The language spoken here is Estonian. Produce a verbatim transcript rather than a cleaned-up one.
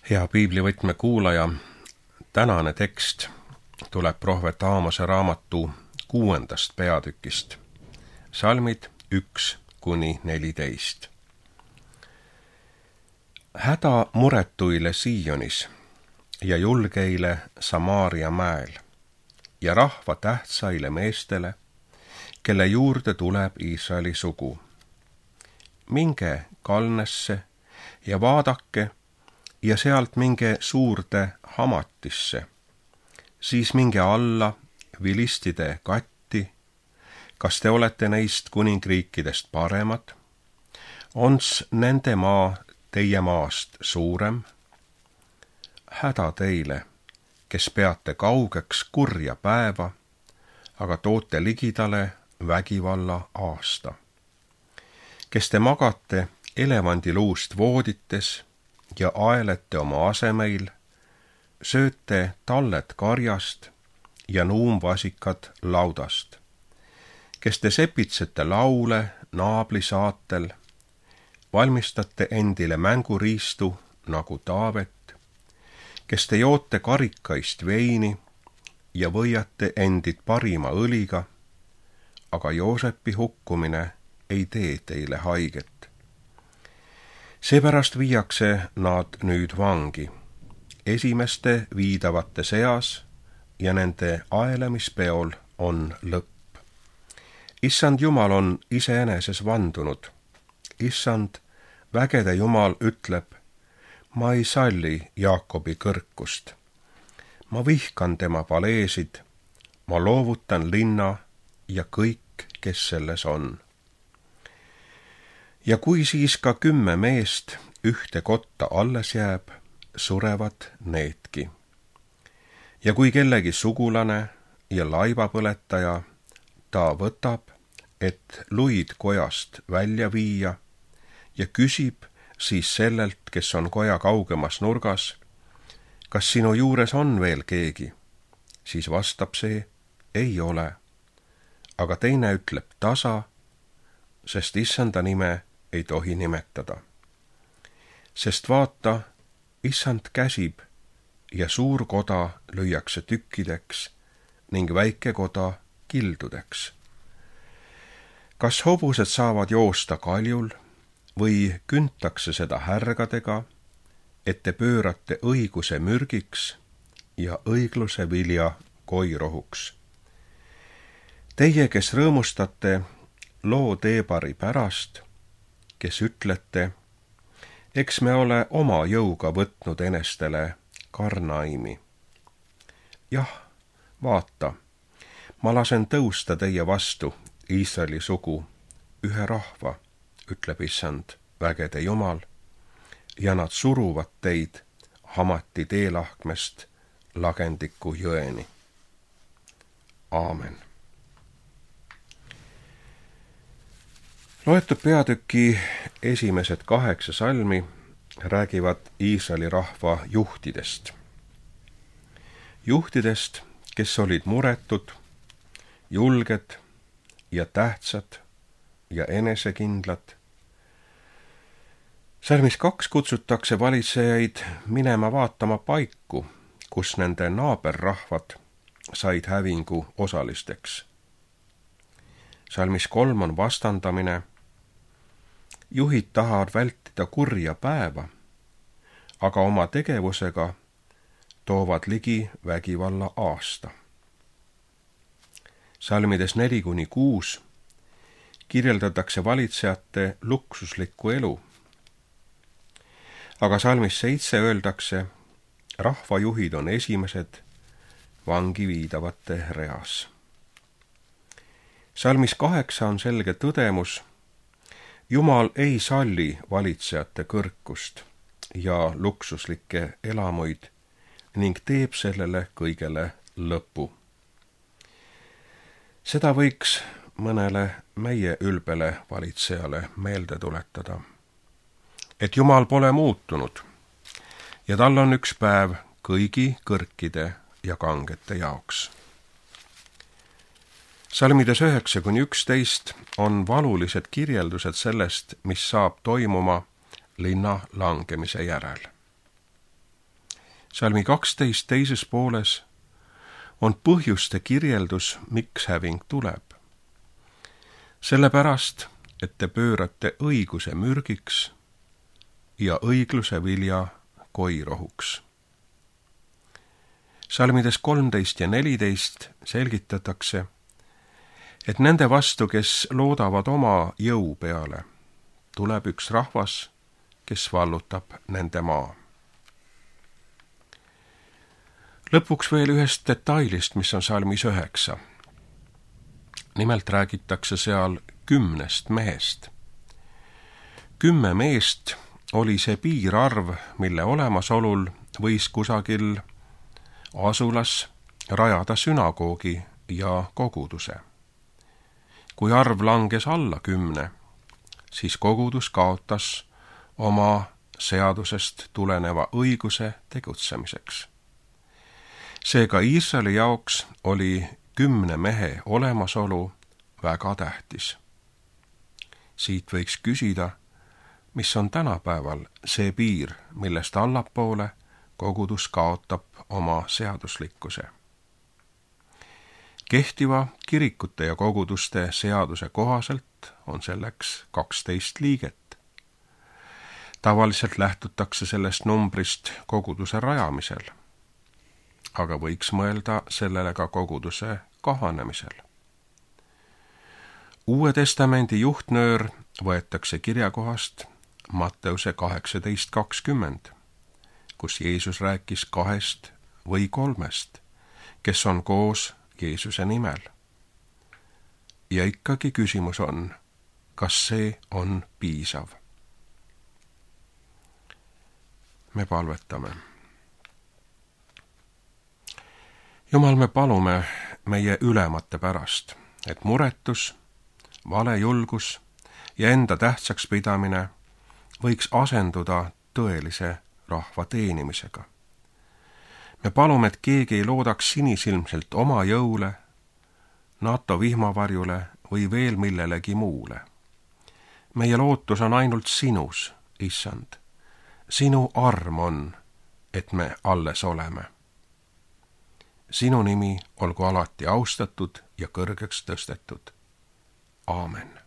Hea piiblivõtme kuulaja, tänane tekst tuleb prohvet Aamose raamatu kuuendast peatükist, salmid üks kuni neliteist. Häda muretuile Sionis ja julgeile Samaaria mäel ja rahva tähtsaile meestele, kelle juurde tuleb Iisraeli sugu. Minge Kalnesse ja vaadake ja sealt minge suurde Hamatisse, siis minge alla vilistide katti, kas te olete neist kuningriikidest paremad? Ons nende maa teie maast suurem? Häda teile, kes peate kaugeks kurja päeva, aga toote ligidale vägivalla aasta. Kes te magate elevandiluust voodites ja aelete oma asemeil, sööte tallet karjast ja nuumvasikad laudast. Kes te sepitsete laule naabli saatel, valmistate endile mänguriistu nagu Taavet, kes te joote karikaist veini ja võiate endid parima õliga, aga Joosepi hukkumine ei tee teile haiget. Seepärast viiakse nad nüüd vangi, esimeste viidavate seas ja nende aelemispeol on lõpp. Issand Jumal on iseeneses vandunud. Issand, vägede Jumal ütleb, ma ei salli Jaakobi kõrkust. Ma vihkan tema paleesid, ma loovutan linna ja kõik, kes selles on. Ja kui siis ka kümme meest ühte kotta alles jääb, surevad needki. Ja kui kellegi sugulane ja laivapõletaja ta võtab, et luid kojast välja viia ja küsib siis sellelt, kes on koja kaugemas nurgas, kas sinu juures on veel keegi, siis vastab see, ei ole. Aga teine ütleb tasa, sest Issanda nime ei tohi nimetada. Sest vaata, Issand käsib ja suur koda lüüakse tükkideks ning väike koda kildudeks. Kas hobused saavad joosta kaljul või küntakse seda härgadega, et te pöörate õiguse mürgiks ja õigluse vilja koirohuks? Teie, kes rõõmustate loo teebari pärast, kes ütlete, eks me ole oma jõuga võtnud enestele Karnaimi. Jah, vaata, ma lasen tõusta teie vastu Iisraeli sugu, ühe rahva, ütleb Issand, vägede Jumal, ja nad suruvad teid Hamati teelahkmest Lagendiku jõeni. Aamen. Loetud peatüki esimesed kaheksa salmi räägivad Iisraeli rahva juhtidest. Juhtidest, kes olid muretud, julged ja tähtsad ja enesekindlad. Salmis kaks kutsutakse valitsejaid minema vaatama paiku, kus nende naaberrahvad said hävingu osalisteks. Salmis kolm on vastandamine. Juhid tahavad vältida kurja päeva, aga oma tegevusega toovad ligi vägivalla aasta. Salmides neli kuni kuus kirjeldatakse valitsejate luksuslikku elu. Aga salmis seitse öeldakse, rahvajuhid on esimesed vangi viidavate reas. Salmis kaheksa on selge tõdemus, Jumal ei salli valitsejate kõrkust ja luksuslikke elamuid ning teeb sellele kõigele lõpu. Seda võiks mõnele meie ülbele valitsejale meelde tuletada, et Jumal pole muutunud ja tal on üks päev kõigi kõrkide ja kangete jaoks. Salmides üheksa kuni üksteist on valulised kirjeldused sellest, mis saab toimuma linna langemise järel. Salmi kaksteist teises pooles on põhjuste kirjeldus, miks häving tuleb. Sellepärast, et te pöörate õiguse mürgiks ja õigluse vilja koirohuks. Salmides kolmteist ja neliteist selgitatakse, et nende vastu, kes loodavad oma jõu peale, tuleb üks rahvas, kes vallutab nende maa. Lõpuks veel ühest detailist, mis on salmis üheksa. Nimelt räägitakse seal kümnest mehest. Kümme meest oli see piirarv, mille olemasolul võis kusagil asulas rajada sünagoogi ja koguduse. Kui arv langes alla kümne, siis kogudus kaotas oma seadusest tuleneva õiguse tegutsemiseks. Seega Iisraeli jaoks oli kümne mehe olemasolu väga tähtis. Siit võiks küsida, mis on tänapäeval see piir, millest allapoole kogudus kaotab oma seaduslikkuse. Kehtiva kirikute ja koguduste seaduse kohaselt on selleks kaksteist liiget. Tavaliselt lähtutakse sellest numbrist koguduse rajamisel, aga võiks mõelda sellele ka koguduse kahanemisel. Uue testamendi juhtnöör võetakse kirjakohast Matteuse kaheksateist kakskümmend, kus Jeesus rääkis kahest või kolmest, kes on koos Jeesuse nimel. Ja ikkagi küsimus on, kas see on piisav? Me palvetame. Jumal, me palume meie ülemate pärast, et muretus, valejulgus ja enda tähtsaks pidamine võiks asenduda tõelise rahva teenimisega. Me palume, et keegi ei loodaks sinisilmselt oma jõule, NATO vihmavarjule või veel millelegi muule. Meie lootus on ainult sinus, Issand. Sinu arm on, et me alles oleme. Sinu nimi olgu alati austatud ja kõrgeks tõstetud. Aamen.